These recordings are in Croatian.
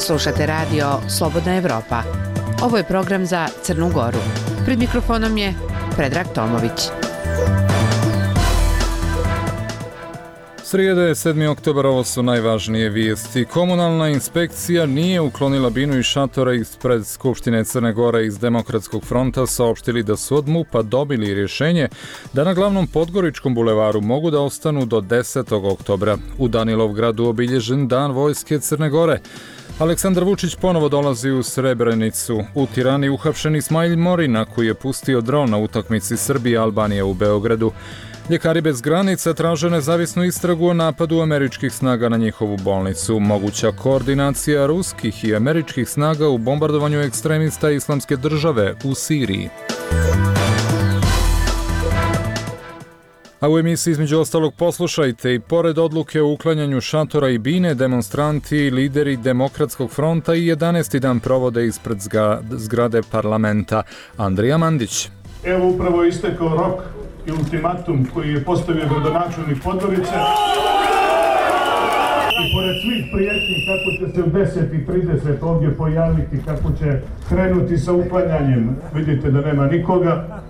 Slušate radio Slobodna Evropa. Ovo je program za Crnu Goru. Pred mikrofonom je Predrag Tomović. Srijeda je 7. oktobar, ovo su najvažnije vijesti. Komunalna inspekcija nije uklonila binu i šatora ispred Skupštine Crne Gore. Iz Demokratskog fronta saopštili da su od MUP-a dobili rješenje da na glavnom Podgoričkom bulevaru mogu da ostanu do 10. oktobra. U Danilovgradu obilježen Dan vojske Crne Gore. Aleksandar Vučić ponovo dolazi u Srebrenicu. U Tirani uhapšen Ismail Morina koji je pustio dron na utakmici Srbije-Albanije u Beogradu. Ljekari bez granica traže nezavisnu istragu o napadu američkih snaga na njihovu bolnicu. Moguća koordinacija ruskih i američkih snaga u bombardovanju ekstremista Islamske države u Siriji. A u emisiji između ostalog poslušajte i pored odluke o uklanjanju šatora i bine, demonstranti i lideri Demokratskog fronta i 11. dan provode ispred zgrade parlamenta. Andrija Mandić. Evo upravo je istekao rok i ultimatum koji je postavio gradonačelnik Podgorice. I pored svih prijetnji kako će se u 10:30 ovdje pojaviti, kako će krenuti sa uklanjanjem, vidite da nema nikoga.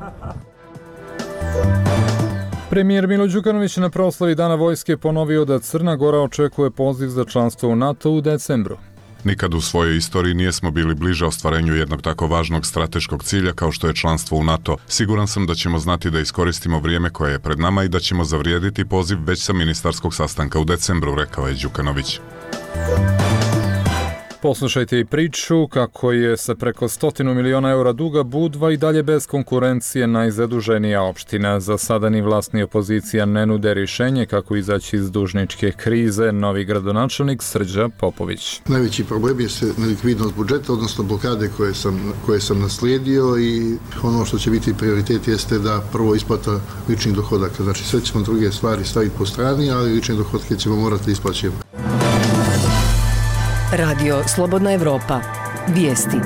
Premijer Milo Đukanović na proslavi Dana vojske ponovio da Crna Gora očekuje poziv za članstvo u NATO u decembru. Nikad u svojoj istoriji nijesmo bili bliže ostvarenju jednog tako važnog strateškog cilja kao što je članstvo u NATO. Siguran sam da ćemo znati da iskoristimo vrijeme koje je pred nama i da ćemo zavrijediti poziv već sa ministarskog sastanka u decembru, rekao je Đukanović. Poslušajte i priču kako je sa preko 100 miliona eura duga Budva i dalje bez konkurencije najzaduženija opština. Za sada ni vlast ni opozicija ne nude rješenje kako izaći iz dužničke krize. Novi gradonačelnik Srđa Popović. Najveći problem je nelikvidnost budžeta, odnosno blokade koje sam naslijedio i ono što će biti prioritet jeste da prvo isplata ličnih dohodaka. Znači sve ćemo druge stvari staviti po strani, ali lične dohodke ćemo morati isplaćivati. Radio Slobodna Evropa. Vijesti.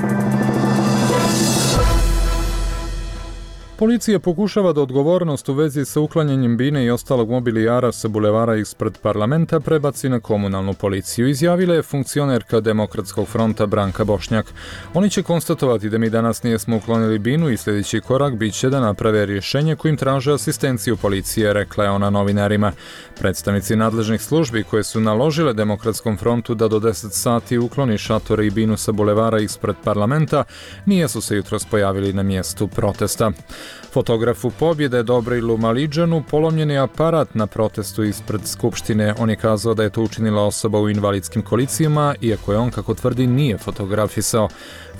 Policija pokušava da odgovornost u vezi sa uklanjanjem bine i ostalog mobilijara sa bulevara ispred parlamenta prebaci na komunalnu policiju, izjavila je funkcionerka Demokratskog fronta Branka Bošnjak. Oni će konstatovati da mi danas nijesmo uklonili binu i sljedeći korak bit će da naprave rješenje kojim traže asistenciju policije, rekla je ona novinarima. Predstavnici nadležnih službi koje su naložile Demokratskom frontu da do 10 sati ukloni šatore i binu sa bulevara ispred parlamenta nijesu se jutros pojavili na mjestu protesta. Fotografu pobjede Dobrilu Maliđanu polomljen je aparat na protestu ispred Skupštine. On je kazao da je to učinila osoba u invalidskim kolicijama, iako je on, kako tvrdi, nije fotografisao.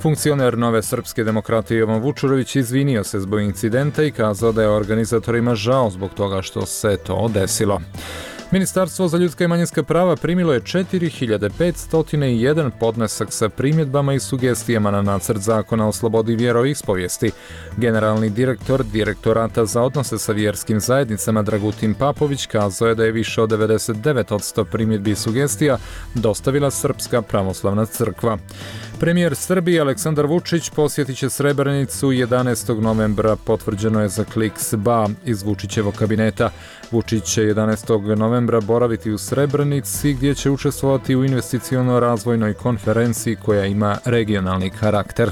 Funkcioner Nove srpske demokratije Jovan Vučurović izvinio se zbog incidenta i kazao da je organizatorima žao zbog toga što se to desilo. Ministarstvo za ljudska i manjinska prava primilo je 4501 podnesak sa primjedbama i sugestijama na nacrt zakona o slobodi vjeroispovijesti. Generalni direktor Direktorata za odnose sa vjerskim zajednicama Dragutin Papović kazao je da je više od 99% primjedbi i sugestija dostavila Srpska pravoslavna crkva. Premijer Srbije Aleksandar Vučić posjetit će Srebrenicu 11. novembra, potvrđeno je za Kliks.ba iz Vučićevog kabineta. Vučić će 11. novembra boraviti u Srebrenici gdje će učestvovati u investiciono-razvojnoj konferenciji koja ima regionalni karakter.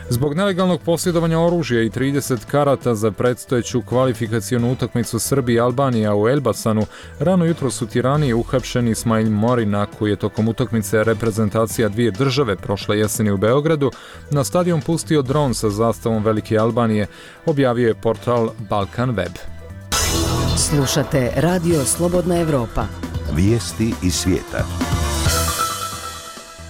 Zbog nelegalnog posjedovanja oružja i 30 karata za predstojeću kvalifikacionu utakmicu Srbije i Albanija u Elbasanu, rano jutros u Tirani je uhapšen Ismail Morina koji je tokom utakmice reprezentacija dvije države prošle jeseni u Beogradu na stadion pustio dron sa zastavom Velike Albanije, objavio je portal Balkan Web. Slušate Radio Slobodna Evropa. Vijesti iz svijeta.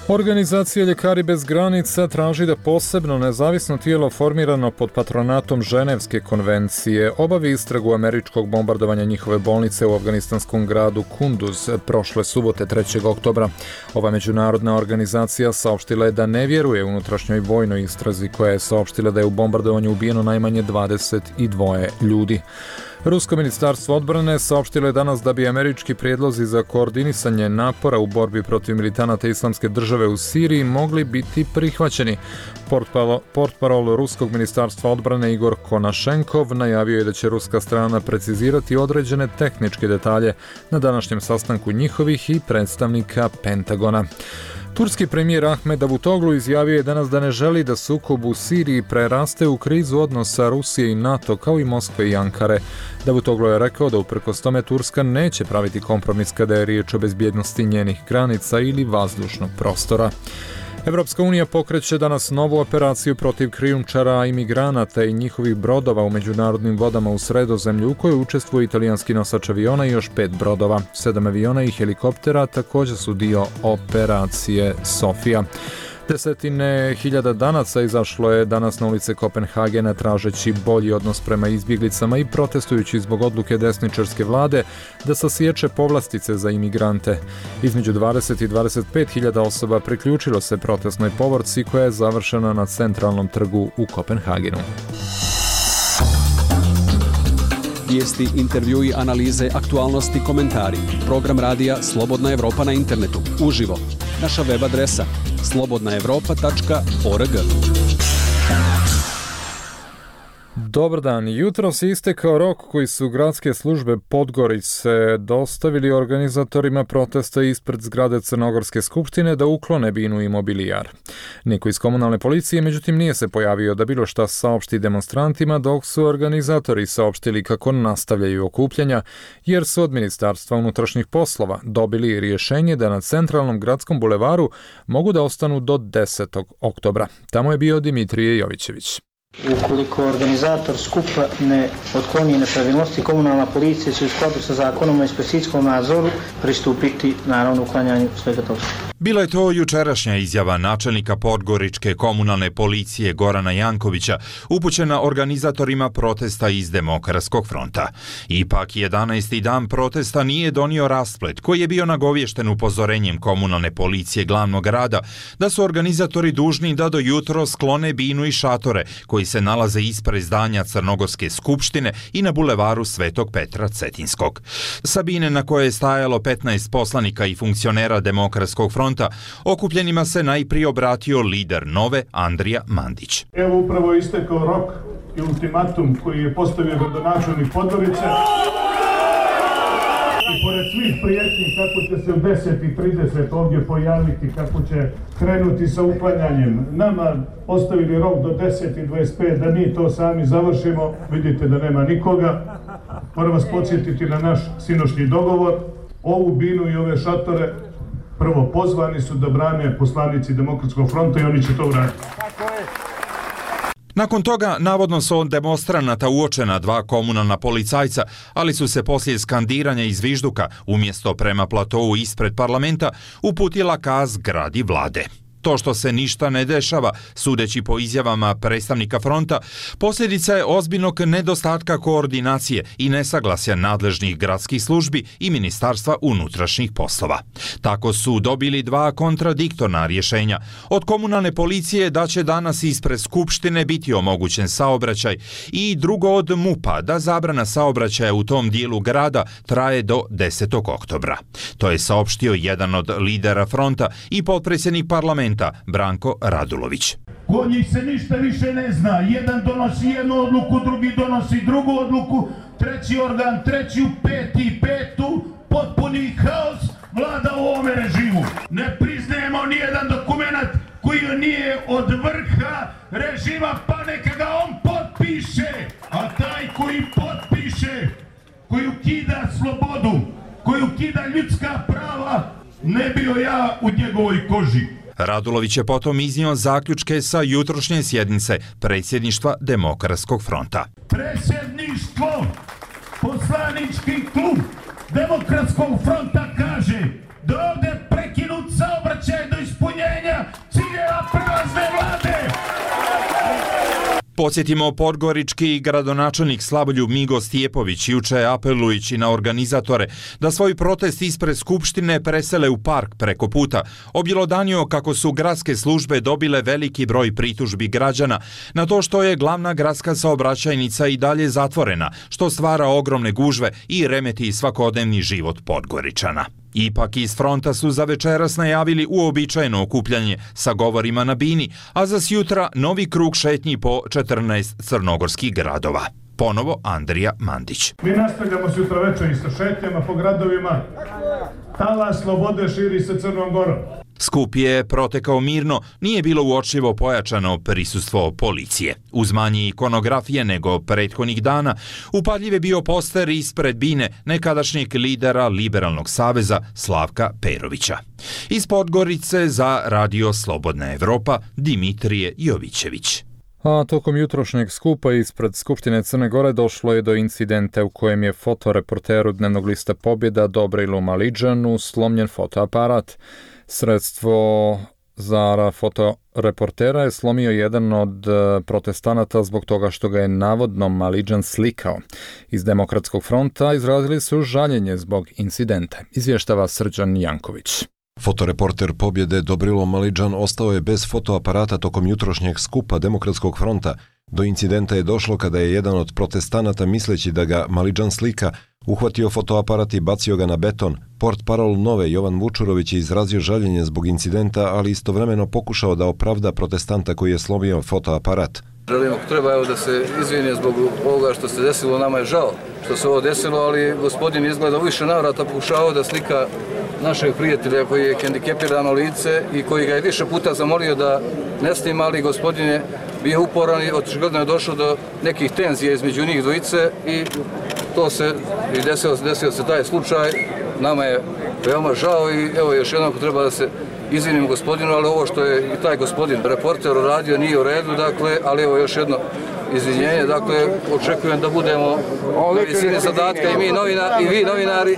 Organizacija Ljekari bez granica traži da posebno nezavisno tijelo formirano pod patronatom Ženevske konvencije obavi istragu američkog bombardovanja njihove bolnice u afganistanskom gradu Kunduz prošle subote 3. oktobra. Ova međunarodna organizacija saopštila je da ne vjeruje unutrašnjoj vojnoj istrazi koja je saopštila da je u bombardovanju ubijeno najmanje 22 ljudi. Rusko ministarstvo odbrane saopštilo je danas da bi američki prijedlozi za koordinisanje napora u borbi protiv militanata Islamske države u Siriji mogli biti prihvaćeni. Portparol Ruskog ministarstva odbrane Igor Konašenkov najavio je da će ruska strana precizirati određene tehničke detalje na današnjem sastanku njihovih i predstavnika Pentagona. Turski premijer Ahmed Davutoglu izjavio je danas da ne želi da sukob u Siriji preraste u krizu odnosa Rusije i NATO kao i Moskve i Ankare. Davutoglu je rekao da uprkos tome Turska neće praviti kompromis kada je riječ o bezbjednosti njenih granica ili vazdušnog prostora. Evropska unija pokreće danas novu operaciju protiv krijumčara imigranata i njihovih brodova u međunarodnim vodama u Sredozemlju u kojoj učestvuje italijanski nosač aviona i još 5 brodova. 7 aviona i helikoptera također su dio operacije Sofija. Desetine hiljada danaca izašlo je danas na ulice Kopenhagena tražeći bolji odnos prema izbjeglicama i protestujući zbog odluke desničarske vlade da sasječe povlastice za imigrante. Između 20 i 25 hiljada osoba priključilo se protestnoj povorci koja je završena na centralnom trgu u Kopenhagenu. Vijesti, intervjui, analize, aktualnosti, komentari. Program radija Slobodna Evropa na internetu. Uživo. Naša web adresa slobodnaevropa.org. Dobar dan. Jutro se istekao rok koji su gradske službe Podgorice dostavili organizatorima protesta ispred zgrade Crnogorske skupštine da uklone binu i mobilijar. Niko iz komunalne policije međutim nije se pojavio da bilo šta saopšti demonstrantima, dok su organizatori saopštili kako nastavljaju okupljanja jer su od Ministarstva unutrašnjih poslova dobili rješenje da na centralnom gradskom bulevaru mogu da ostanu do 10. oktobra. Tamo je bio Dimitrije Jovićević. Ukoliko organizator skupa ne otkloni nepravilnosti, komunalna policija će u skladu sa zakonom o inspekcijskom nadzoru pristupiti naravno uklanjanju svega toga. Bila je to jučerašnja izjava načelnika Podgoričke komunalne policije Gorana Jankovića upućena organizatorima protesta iz Demokratskog fronta. Ipak 11. dan protesta nije donio rasplet koji je bio nagovješten upozorenjem komunalne policije glavnog grada da su organizatori dužni da do jutro sklone binu i šatore koji se nalaze ispred zdanja Crnogorske skupštine i na bulevaru Svetog Petra Cetinskog. Sa bine na koje je stajalo 15 poslanika i funkcionera Demokratskog fronta, okupljenima se najprije obratio lider Nove Andrija Mandić. Evo upravo je istekao rok i ultimatum koji je postavio gradonačelnik Podgorice. I pored svih prijetnji kako će se u 10:30 ovdje pojaviti, kako će krenuti sa uklanjanjem, nama ostavili rok do 10:25 da mi to sami završimo. Vidite da nema nikoga. Moram vas podsjetiti na naš sinoćni dogovor. Ovu binu i ove šatore prvo pozvani su da brane poslanici Demokratskog fronta i oni će to uraditi. Nakon toga, navodno su od demonstranata uočena 2 komunalna policajca, ali su se poslije skandiranja iz vižduka, umjesto prema platovu ispred parlamenta, uputila ka zgradi vlade. To što se ništa ne dešava, sudeći po izjavama predstavnika fronta, posljedica je ozbiljnog nedostatka koordinacije i nesaglasja nadležnih gradskih službi i Ministarstva unutrašnjih poslova. Tako su dobili 2 kontradiktorna rješenja. Od komunalne policije da će danas ispred Skupštine biti omogućen saobraćaj i drugo od MUP-a da zabrana saobraćaja u tom dijelu grada traje do 10. oktobra. To je saopštio jedan od lidera fronta i potpredsjednik parlamenta Branko Radulović. Kod njih se ništa više ne zna. Jedan donosi jednu odluku, drugi donosi drugu odluku, treći organ, treću, peti, petu, potpuni haos vlada u ovome režimu. Ne priznajemo nijedan dokument koji nije od vrha režima, pa neka ga on potpiše. A taj koji potpiše, koji ukida slobodu, koji ukida ljudska prava, ne bio ja u njegovoj koži. Radulović je potom iznio zaključke sa jutrošnje sjednice predsjedništva Demokratskog fronta. Predsjedništvo, poslanički klub Demokratskog fronta kaže da ovdje prekinut saobraćaj do ispunjenja ciljeva prelazne vlade. Podsjetimo, podgorički gradonačelnik Slavoljub Migo Stjepović juče apelujući na organizatore da svoj protest ispred Skupštine presele u park preko puta, objelodanio kako su gradske službe dobile veliki broj pritužbi građana na to što je glavna gradska saobraćajnica i dalje zatvorena, što stvara ogromne gužve i remeti svakodnevni život Podgoričana. Ipak iz fronta su za večeras najavili uobičajeno okupljanje sa govorima na bini, a za sjutra novi krug šetnji po 14 crnogorskih gradova. Ponovo Andrija Mandić. Mi nastavljamo sutra večer i sa šetnjama po gradovima. Talas slobode širi se Crnom Gorom. Skup je protekao mirno, nije bilo uočljivo pojačano prisustvo policije. Uz manje ikonografije nego prethodnih dana, upadljiv je bio poster ispred bine nekadašnjeg lidera Liberalnog saveza Slavka Perovića. Iz Podgorice za Radio Slobodna Evropa Dimitrije Jovićević. A tokom jutrošnjeg skupa ispred Skupštine Crne Gore došlo je do incidenta u kojem je fotoreporteru dnevnog lista Pobjeda Dobrilu Maliđanu slomljen fotoaparat. Sredstvo za fotoreportera je slomio jedan od protestanata zbog toga što ga je navodno Maliđan slikao. Iz Demokratskog fronta izrazili su žaljenje zbog incidenta, izvještava Srđan Janković. Fotoreporter Pobjede Dobrilo Maliđan ostao je bez fotoaparata tokom jutrošnjeg skupa Demokratskog fronta. Do incidenta je došlo kada je jedan od protestanata, misleći da ga Maliđan slika, uhvatio fotoaparat i bacio ga na beton. Portparol Nove Jovan Vučurović je izrazio žaljenje zbog incidenta, ali istovremeno pokušao da opravda protestanta koji je slomio fotoaparat. Želim, ako treba, da se izvine zbog ovoga što se desilo, nama je žao što se ovo desilo, ali gospodin izgleda više navrata pokušao da slika našeg prijatelja koji je hendikepirano lice i koji ga je više puta zamolio da ne snima, ali gospodin je bio uporan i očigledno je došlo do nekih tenzija između njih dvojice i to se i desio se taj slučaj. Nama je veoma žao i evo još jednom treba da se izvinim gospodinu, ali ovo što je i taj gospodin reporter uradio nije u redu, dakle, ali evo još jedno izvinjenje, dakle, očekujem da budemo na visini zadatka i vi novinari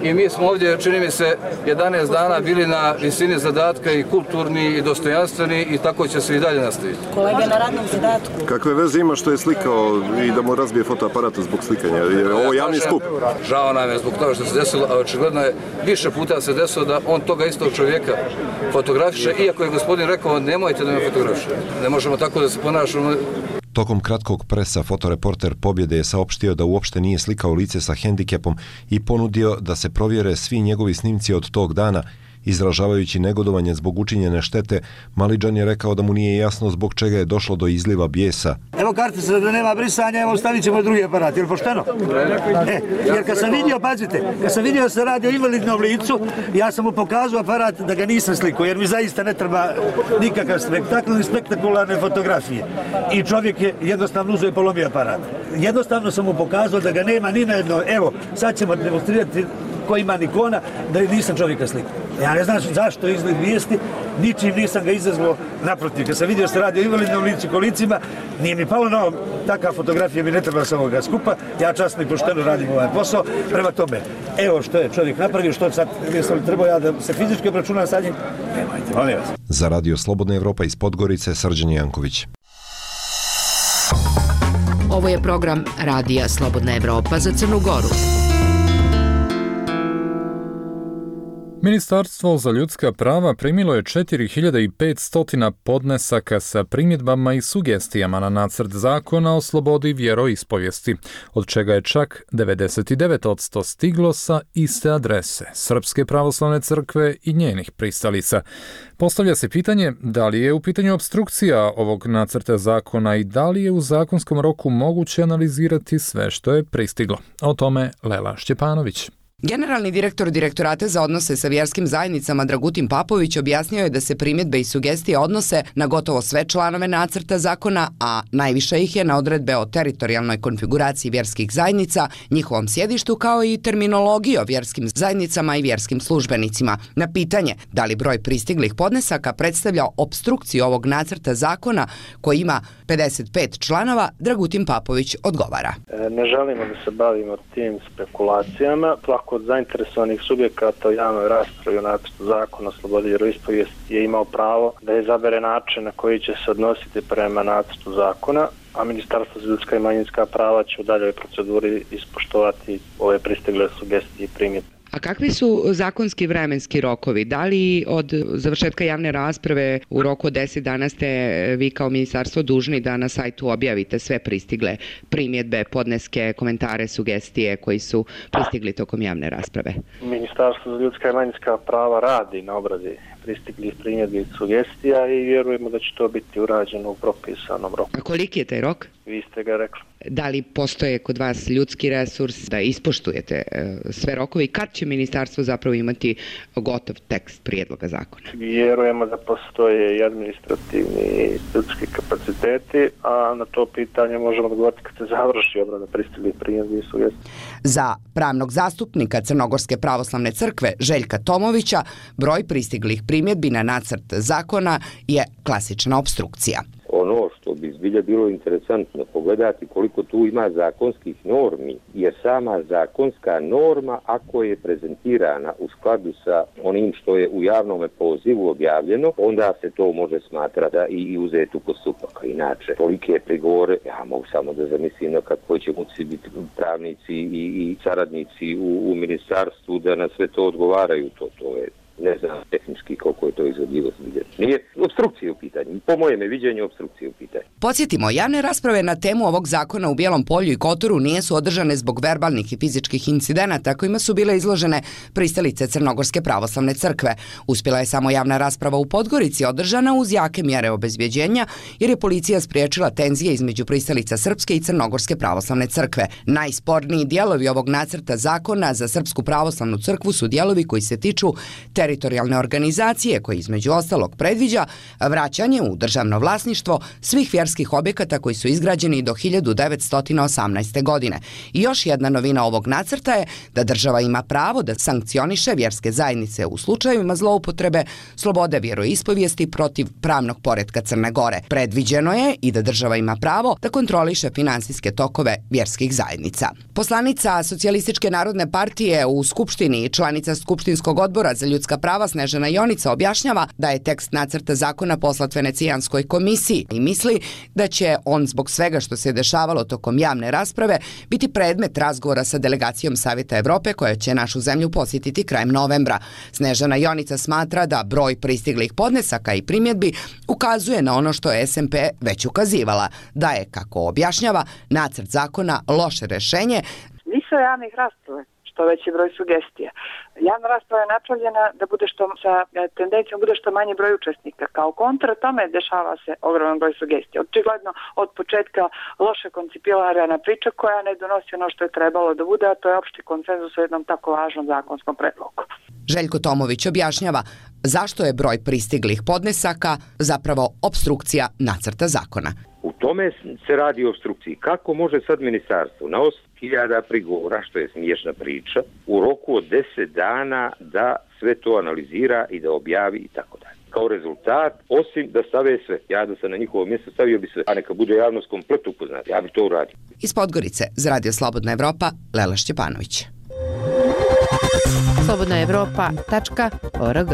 i mi smo ovdje, čini mi se, 11 dana bili na visini zadatka i kulturni i dostojanstveni i tako će se i dalje nastaviti. Kolega na radnom zadatku. Kakve veze ima što je slikao i da mu razbije fotoaparata zbog slikanja? Je ovo javni skup? Žao nam je zbog toga što se desilo, a očigledno je više puta se desilo da on toga istog čovjeka fotografiše, iako je gospodin rekao nemojte da me fotografiše. Ne možemo tako da se ponašamo. Tokom kratkog presa fotoreporter Pobjede je saopštio da uopšte nije slikao lice sa hendikepom i ponudio da se provjere svi njegovi snimci od tog dana. Izražavajući negodovanje zbog učinjene štete, Maliđan je rekao da mu nije jasno zbog čega je došlo do izliva bijesa. Evo kartica da nema brisanja, evo stavit ćemo drugi aparat, je li pošteno? Jer kad sam vidio, pazite, kad sam vidio da se radi o invalidnom licu, ja sam mu pokazao aparat da ga nisam slikao, jer mi zaista ne treba nikakav spektakl ni spektakularne fotografije. I čovjek je jednostavno uzeo i polomio aparat. Jednostavno sam mu pokazao da ga nema ni na jedno, evo, sad ćemo demonstrirati ko ima ikona, da nisam čovjeka slikao. Ja ne znam zašto izgled vijesti, ničim nisam ga izazvao, naprotiv. Kad sam vidio se radi o invalidnom licu i kolicima, nije mi palo na ovo, takva fotografija mi ne treba sa ovoga skupa, ja časno i pošteno radim ovaj posao, prema tome, evo što je čovjek napravio, što sad, trebao ja da se fizički obračunam sa njim, nemojte, molim vas. Za Radio Slobodna Evropa iz Podgorice, Srđan Janković. Ovo je program Radija Slobodna Evropa za Crnu Goru. Ministarstvo za ljudska prava primilo je 4500 podnesaka sa primjedbama i sugestijama na nacrt zakona o slobodi vjeroispovijesti, od čega je čak 99% stiglo sa iste adrese, Srpske pravoslavne crkve i njenih pristalica. Postavlja se pitanje da li je u pitanju opstrukcija ovog nacrta zakona i da li je u zakonskom roku moguće analizirati sve što je pristiglo. O tome Lela Šćepanović. Generalni direktor Direktorata za odnose sa vjerskim zajednicama Dragutin Papović objasnio je da se primjedbe i sugestije odnose na gotovo sve članove nacrta zakona, a najviše ih je na odredbe o teritorijalnoj konfiguraciji vjerskih zajednica, njihovom sjedištu kao i terminologiji o vjerskim zajednicama i vjerskim službenicima. Na pitanje da li broj pristiglih podnesaka predstavlja opstrukciju ovog nacrta zakona koji ima 55 članova, Dragutin Papović odgovara. Ne želimo da se bavimo tim spekulacijama. Od zainteresovanih subjekata u javnoj raspravi o nacrtu zakona o slobodi vjeroispovijesti je imao pravo da izabere način na koji će se odnositi prema nacrtu zakona, a Ministarstvo za ljudska i manjinska prava će u daljoj proceduri ispoštovati ove pristigle sugestije i primjedbe. A kakvi su zakonski vremenski rokovi? Da li od završetka javne rasprave u roku od 10 dana ste vi kao ministarstvo dužni da na sajtu objavite sve pristigle primjedbe, podneske, komentare, sugestije koji su pristigli tokom javne rasprave? Ministarstvo za ljudska i manjinska prava radi na obradi pristiglih primjedbi i sugestija i vjerujemo da će to biti urađeno u propisanom roku. A koliki je taj rok? Vi ste ga rekli. Da li postoje kod vas ljudski resurs da ispoštujete sve rokove i kad će ministarstvo zapravo imati gotov tekst prijedloga zakona? Vjerujemo da postoje i administrativni i ljudski kapaciteti, a na to pitanje možemo odgovoriti kad se završi obrada pristiglih primjedbi i sugestija. Za pravnog zastupnika Crnogorske pravoslavne crkve Željka Tomovića broj pristiglih primjedbi na nacrt zakona je klasična opstrukcija. Ono što bi zbilja bilo interesantno pogledati koliko tu ima zakonskih normi, jer sama zakonska norma, ako je prezentirana u skladu sa onim što je u javnom pozivu objavljeno, onda se to može smatrati i uzeti u postupak. Inače, tolike prigovore, ja mogu samo da zamislim na kako će moći biti pravnici i saradnici u ministarstvu da na sve to odgovaraju. To je, ne znam tehnički koliko je to izvodljivo. Nije opstrukcije u pitanju. Po mojem viđenju opstrukcije u pitanju. Podsjetimo, javne rasprave na temu ovog zakona u Bijelom Polju i Kotoru nije su održane zbog verbalnih i fizičkih incidenata kojima su bile izložene pristalice Crnogorske pravoslavne crkve. Uspjela je samo javna rasprava u Podgorici održana uz jake mjere obezbjeđenja jer je policija spriječila tenzije između pristalica Srpske i Crnogorske pravoslavne crkve. Najsporniji dijelovi ovog nacrta zakona za Srpsku pravoslavnu crkvu su dijelovi koji se tiču teritorijalne organizacije koji između ostalog predviđa vraćanje u državno vlasništvo svih vjerskih objekata koji su izgrađeni do 1918. godine. I još jedna novina ovog nacrta je da država ima pravo da sankcioniše vjerske zajednice u slučajevima zloupotrebe slobode vjeroispovijesti protiv pravnog poretka Crne Gore. Predviđeno je i da država ima pravo da kontroliše finansijske tokove vjerskih zajednica. Poslanica Socijalističke narodne partije u Skupštini i članica Skupštinskog odbora za ljudska prava Snežana Jonica objašnjava da je tekst nacrta zakona poslat Venecijanskoj komisiji i misli da će on zbog svega što se dešavalo tokom javne rasprave biti predmet razgovora sa delegacijom Savjeta Evrope koja će našu zemlju posjetiti krajem novembra. Snežana Jonica smatra da broj pristiglih podnesaka i primjedbi ukazuje na ono što je SMP već ukazivala, da je, kako objašnjava, nacrt zakona loše rješenje. Nisu javnih rasprave, što veći broj sugestija. Javna rasprava je napravljena da bude sa tendencijom bude što manje broj učesnika. Kao kontra tome dešava se ogroman broj sugestija. Očigledno od početka loše koncipirana priča koja ne donosi ono što je trebalo da bude, a to je opšti konsenzus o jednom tako važnom zakonskom predlogu. Željko Tomović objašnjava zašto je broj pristiglih podnesaka zapravo opstrukcija nacrta zakona. U tome se radi o opstrukciji. Kako može sad ministarstvo na 8.000 prigovora, što je smiješna priča, u roku od 10 dana da sve to analizira i da objavi i tako dalje. Kao rezultat, osim da stave sve. Ja da sam na njihovo mjesto stavio bi sve, a neka bude javnost komplet upoznata. Ja bi to uradio. Iz Podgorice za Radio Slobodna Evropa, Lela Šćepanović. slobodnaevropa.org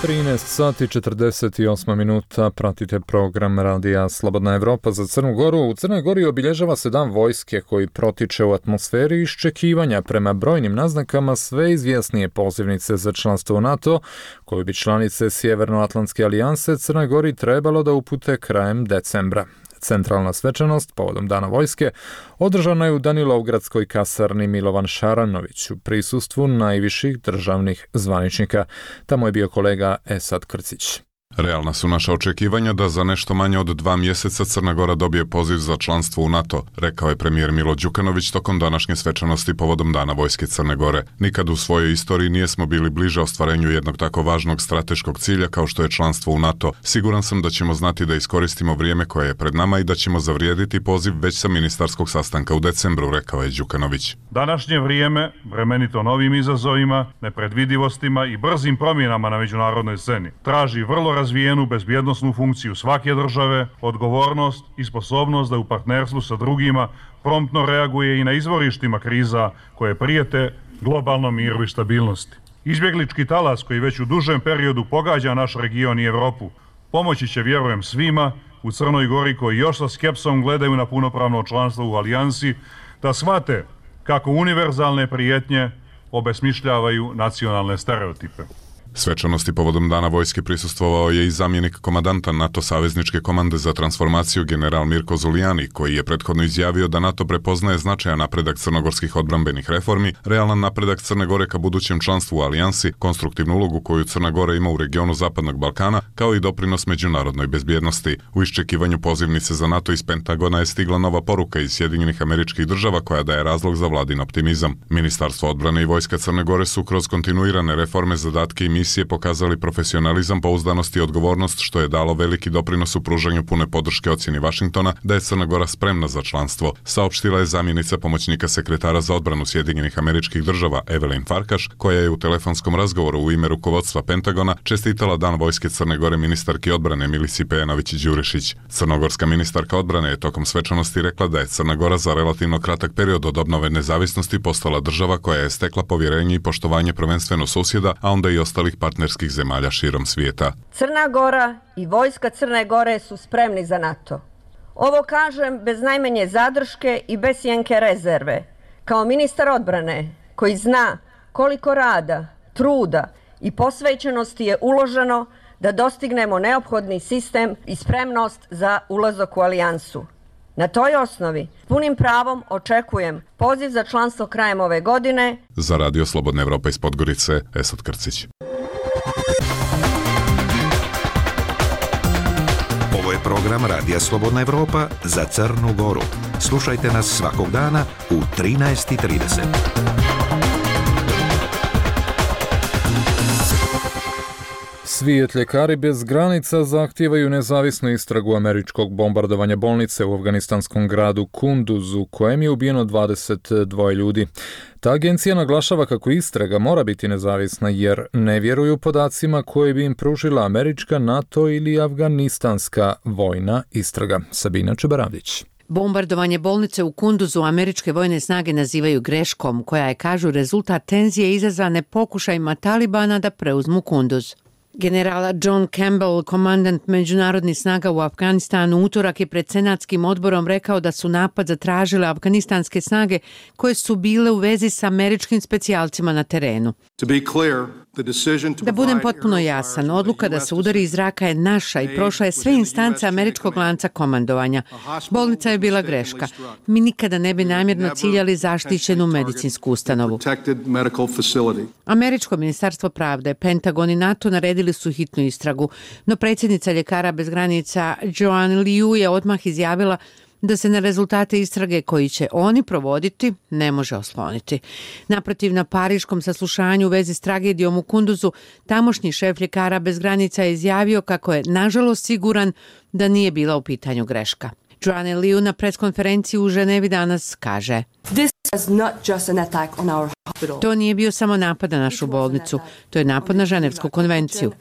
13 sati 48 minuta, pratite program Radija Slobodna Evropa za Crnu Goru. U Crnoj Gori obilježava se dan vojske koji protiče u atmosferi iščekivanja prema brojnim naznakama sve izvjesnije pozivnice za članstvo u NATO, koju bi članice Sjevernoatlantske alijanse Crnoj Gori trebalo da upute krajem decembra. Centralna svečanost povodom Dana vojske održana je u Danilovgradskoj kasarni Milovan Šaranović u prisustvu najviših državnih zvaničnika. Tamo je bio kolega Esad Krcić. Realna su naša očekivanja da za nešto manje od 2 mjeseca Crna Gora dobije poziv za članstvo u NATO, rekao je premijer Milo Đukanović tokom današnje svečanosti povodom Dana vojske Crne Gore. Nikad u svojoj istoriji nijesmo bili bliže ostvarenju jednog tako važnog strateškog cilja kao što je članstvo u NATO. Siguran sam da ćemo znati da iskoristimo vrijeme koje je pred nama i da ćemo zavrijediti poziv već sa ministarskog sastanka u decembru, rekao je Đukanović. Današnje vrijeme, bremenito novim izazovima, nepredvidivostima i brzim promjenama na međunarodnoj sceni, traži vrlo razvijenu bezbjednosnu funkciju svake države, odgovornost i sposobnost da u partnerstvu sa drugima promptno reaguje i na izvorištima kriza koje prijete globalnom miru i stabilnosti. Izbjeglički talas koji već u dužem periodu pogađa naš region i Evropu pomoći će, vjerujem, svima u Crnoj Gori koji još sa skepsom gledaju na punopravno članstvo u alijansi da shvate kako univerzalne prijetnje obesmišljavaju nacionalne stereotipe. Svečanosti povodom Dana vojske prisustvovao je i zamjenik komandanta NATO savezničke komande za transformaciju general Mirko Zulijani, koji je prethodno izjavio da NATO prepoznaje značajan napredak crnogorskih odbrambenih reformi, realan napredak Crne Gore ka budućem članstvu u alijansi, konstruktivnu ulogu koju Crna Gora ima u regionu Zapadnog Balkana, kao i doprinos međunarodnoj bezbjednosti. U iščekivanju pozivnice za NATO iz Pentagona je stigla nova poruka iz Sjedinjenih Američkih Država koja daje razlog za vladin optimizam. Ministarstvo odbrane i vojska Crne Gore su kroz kontinuirane reforme, zadatke i misije pokazali profesionalizam, pouzdanost i odgovornost, što je dalo veliki doprinos u pružanju pune podrške ocjeni Vašingtona da je Crna Gora spremna za članstvo, saopštila je zamjenica pomoćnika sekretara za odbranu Sjedinjenih Američkih Država Evelyn Farkaš, koja je u telefonskom razgovoru u ime rukovodstva Pentagona čestitala Dan vojske Crne Gore ministarki odbrane Milici Pejanović-Đurišić. Crnogorska ministarka odbrane je tokom svečanosti rekla da je Crna Gora za relativno kratak period od obnove nezavisnosti postala država koja je stekla povjerenje i poštovanje prvenstveno susjeda, a onda i ostalih partnerskih zemalja širom svijeta. Crna Gora i vojska Crne Gore su spremni za NATO. Ovo kažem bez najmanje zadrške i bez jenke rezerve. Kao ministar odbrane koji zna koliko rada, truda i posvećenosti je uloženo da dostignemo neophodni sistem i spremnost za ulazak u alijansu. Na toj osnovi punim pravom očekujem poziv za članstvo krajem ove godine. Za Radio Slobodna Evropa iz Podgorice, Esad Krcić. Ovo je program Radija Slobodna Evropa za Crnu Goru. Slušajte nas svakog dana u 13:30. Svijet ljekari bez granica zahtijevaju nezavisnu istragu američkog bombardovanja bolnice u afganistanskom gradu Kunduzu, kojem je ubijeno 22 ljudi. Ta agencija naglašava kako istraga mora biti nezavisna jer ne vjeruju podacima koje bi im pružila američka, NATO ili afganistanska vojna istraga. Sabina Čebaravdić. Bombardovanje bolnice u Kunduzu američke vojne snage nazivaju greškom, koja je, kažu, rezultat tenzije izazvane pokušajima Talibana da preuzmu Kunduz. General John Campbell, komandant međunarodnih snaga u Afganistanu, utorak je pred senatskim odborom rekao da su napad zatražile afganistanske snage koje su bile u vezi sa američkim specijalcima na terenu. Da budem potpuno jasan, odluka da se udari iz zraka je naša i prošla je sve instance američkog lanca komandovanja. Bolnica je bila greška. Mi nikada ne bi namjerno ciljali zaštićenu medicinsku ustanovu. Američko ministarstvo pravde, Pentagon i NATO naredili su hitnu istragu, no predsjednica Ljekara bez granica Joanne Liu je odmah izjavila da se na rezultate istrage koji će oni provoditi ne može osloniti. Naprotiv, na pariškom saslušanju u vezi s tragedijom u Kunduzu, tamošnji šef Ljekara bez granica je izjavio kako je nažalost siguran da nije bila u pitanju greška. Joanne Liu na preskonferenciji u Ženevi danas kaže: To nije bio samo napad na našu bolnicu, to je napad na Ženevsku konvenciju.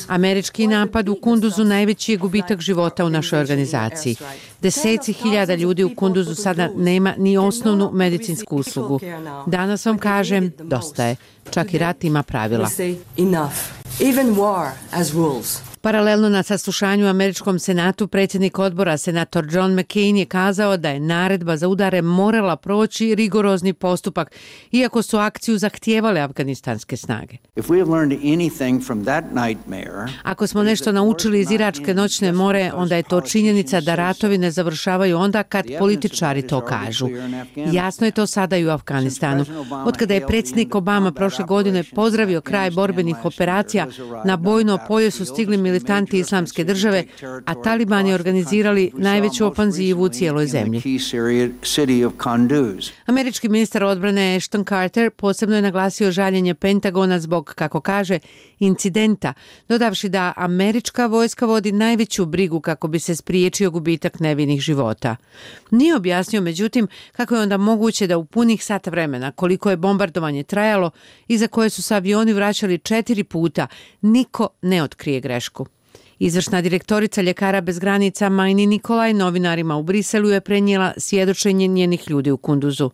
Američki napad u Kunduzu najveći je gubitak života u našoj organizaciji. Deseci hiljada ljudi u Kunduzu sada nema ni osnovnu medicinsku uslugu. Danas vam kažem, dosta je. Čak i rat ima pravila. Paralelno na saslušanju u američkom senatu, predsjednik odbora, senator John McCain, je kazao da je naredba za udare morala proći rigorozni postupak, iako su akciju zahtijevale afganistanske snage. Ako smo nešto naučili iz iračke noćne more, onda je to činjenica da ratovi ne završavaju onda kad političari to kažu. Jasno je to sada i u Afganistanu. Otkada je predsjednik Obama prošle godine pozdravio kraj borbenih operacija, na bojno polje su stigli militanti Islamske države, a Talibani organizirali najveću ofanzivu u cijeloj zemlji. Američki ministar odbrane Ashton Carter posebno je naglasio žaljenje Pentagona zbog, kako kaže, incidenta, dodavši da američka vojska vodi najveću brigu kako bi se spriječio gubitak nevinih života. Nije objasnio, međutim, kako je onda moguće da u punih sat vremena, koliko je bombardovanje trajalo i za koje su se avioni vraćali 4 puta, niko ne otkrije grešku. Izvršna direktorica Ljekara bez granica Majni Nikolaj novinarima u Briselu je prenijela svjedočenje njenih ljudi u Kunduzu.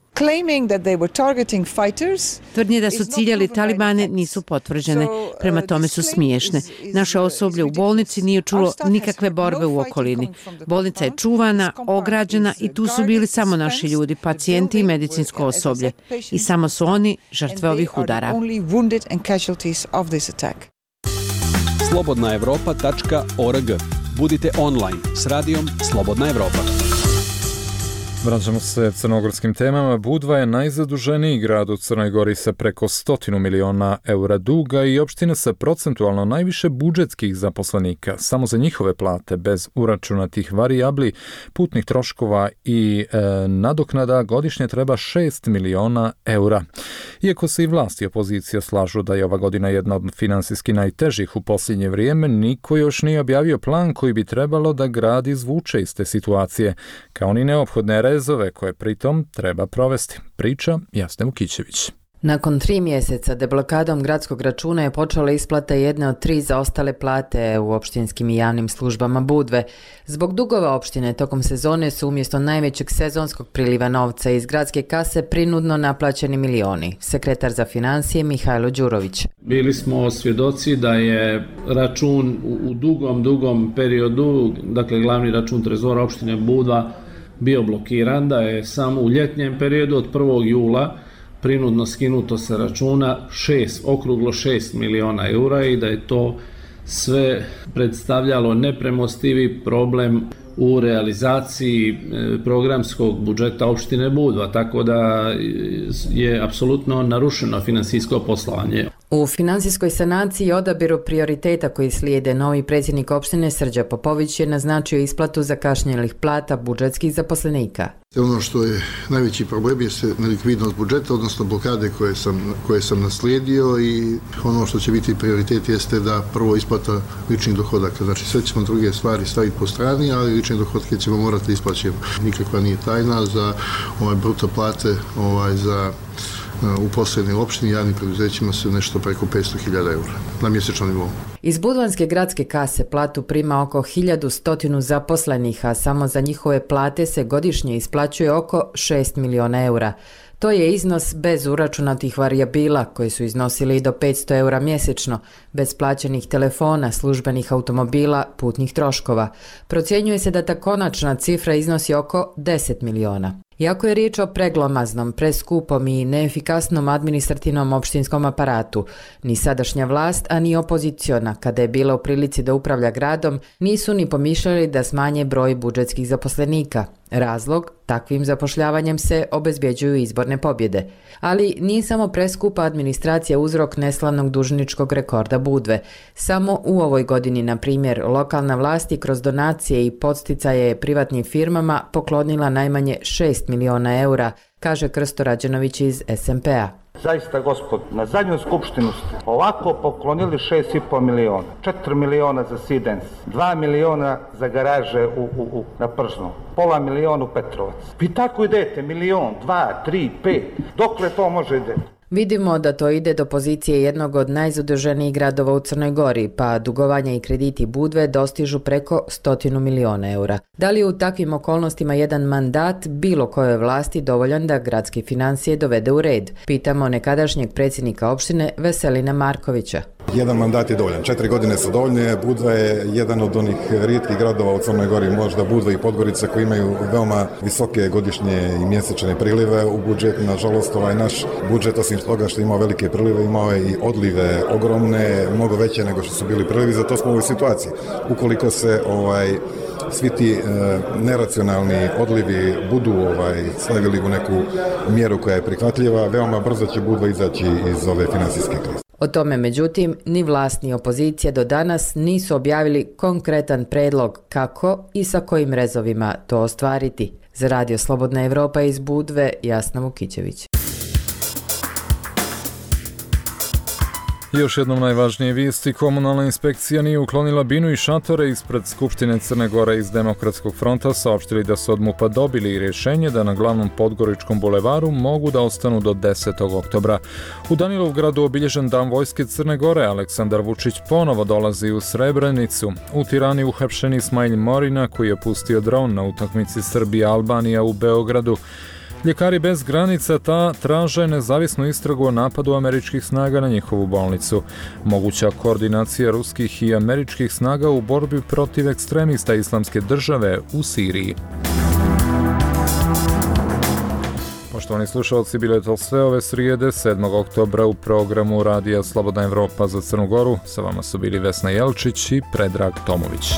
Tvrdnje da su ciljali talibane nisu potvrđene, prema tome su smiješne. Naše osoblje u bolnici nije čulo nikakve borbe u okolini. Bolnica je čuvana, ograđena i tu su bili samo naši ljudi, pacijenti i medicinsko osoblje. I samo su oni žrtve ovih udara. slobodnaevropa.org. Budite online s radijom Slobodna Evropa. Vraćamo se crnogorskim temama. Budva je najzaduženiji grad u Crnoj Gori sa preko 100 miliona eura duga i opština sa procentualno najviše budžetskih zaposlenika. Samo za njihove plate, bez uračunatih varijabli, putnih troškova i nadoknada godišnje treba 6 miliona eura. Iako se i vlast i opozicija slažu da je ova godina jedna od finansijski najtežih u posljednje vrijeme, niko još nije objavio plan koji bi trebalo da grad izvuče iz te situacije, kao ni neophodne rezove koje pritom treba provesti. Priča Jasna Vukićević. Nakon 3 mjeseca deblokadom gradskog računa je počela isplata jedne od 3 zaostale plate u opštinskim i javnim službama Budve. Zbog dugova opštine tokom sezone su umjesto najvećeg sezonskog priliva novca iz gradske kase prinudno naplaćeni milioni. Sekretar za financije Mihajlo Đurović. Bili smo svjedoci da je račun u dugom periodu, dakle glavni račun trezora opštine Budva, bio blokiran, da je samo u ljetnjem periodu od 1. jula prinudno skinuto sa računa okruglo 6 miliona eura i da je to sve predstavljalo nepremostivi problem u realizaciji programskog budžeta opštine Budva, tako da je apsolutno narušeno finansijsko poslovanje. U finansijskoj sanaciji i odabiru prioriteta koji slijede, novi predsjednik opštine Srđa Popović je naznačio isplatu zakašnjelih plata budžetskih zaposlenika. Ono što je najveći problem je nelikvidnost budžeta, odnosno blokade koje sam naslijedio, i ono što će biti prioritet jeste da prvo isplata ličnih dohodaka. Znači sve ćemo druge stvari staviti po strani, ali lične dohodke ćemo morati isplaćati. Nikakva nije tajna za bruto plate za u poslednjoj opštini javnim preduzećima su nešto preko 500.000 eura na mjesečnom nivou. Iz budvanske gradske kase platu prima oko 1100 zaposlenih, a samo za njihove plate se godišnje isplaćuje oko 6 miliona eura. To je iznos bez uračunatih varijabila koji su iznosili do 500 eura mjesečno, bez plaćenih telefona, službenih automobila, putnih troškova. Procjenjuje se da ta konačna cifra iznosi oko 10 miliona. Iako je riječ o preglomaznom, preskupom i neefikasnom administrativnom opštinskom aparatu, ni sadašnja vlast, a ni opoziciona, kada je bila u prilici da upravlja gradom, nisu ni pomišljali da smanje broj budžetskih zaposlenika. Razlog, takvim zapošljavanjem se obezbjeđuju izborne pobjede. Ali nije samo preskupa administracija uzrok neslavnog dužničkog rekorda Budve. Samo u ovoj godini, na primjer, lokalna vlast je kroz donacije i podsticaje privatnim firmama poklonila najmanje 6 miliona eura, kaže Krsto Rađenović iz SMP-a. Zaista, gospod, na zadnju skupštinu ste ovako poklonili 6,5 miliona, 4 miliona za Sidens, 2 miliona za garaže na Pržnu, pola miliona u Petrovac. Vi tako idete, milion, 2, 3, 5, dokle to može ide? Vidimo da to ide do pozicije jednog od najzaduženijih gradova u Crnoj Gori, pa dugovanja i krediti Budve dostižu preko 100 miliona eura. Da li je u takvim okolnostima jedan mandat bilo kojoj vlasti dovoljan da gradske financije dovede u red? Pitamo nekadašnjeg predsjednika opštine Veselina Markovića. Jedan mandat je dovoljan, 4 godine su dovoljne. Budva je jedan od onih rijetkih gradova u Crnoj Gori, možda Budva i Podgorica, koji imaju veoma visoke godišnje i mjesečne prilive u budžetu. Nažalost, naš budžet, osim toga što imao velike prilive, imao je i odlive ogromne, mnogo veće nego što su bili prilivi, zato smo u ovoj situaciji. Ukoliko se svi ti neracionalni odlivi budu stavili u neku mjeru koja je prihvatljiva, veoma brzo će Budva izaći iz ove finansijske krize. O tome, međutim, ni vlast ni opozicija do danas nisu objavili konkretan predlog kako i sa kojim rezovima to ostvariti. Za Radio Slobodna Evropa iz Budve, Jasna Vukićević. Još jednom najvažnije vijesti, komunalna inspekcija nije uklonila binu i šatore ispred Skupštine Crne Gore iz Demokratskog fronta, saopštili da su od MUP-a dobili rješenje da na glavnom Podgoričkom bulevaru mogu da ostanu do 10. oktobra. U Danilovgradu obilježen Dan vojske Crne Gore, Aleksandar Vučić ponovo dolazi u Srebrenicu. U Tirani uhapšen Ismail Morina koji je pustio dron na utakmici Srbija-Albanija u Beogradu. Ljekari bez granica traže nezavisnu istragu o napadu američkih snaga na njihovu bolnicu. Moguća koordinacija ruskih i američkih snaga u borbi protiv ekstremista Islamske države u Siriji. Poštovani slušalci, bile to sve ove srijede 7. oktobra u programu Radija Slobodna Evropa za Crnu Goru. Sa vama su bili Vesna Jelčić i Predrag Tomović.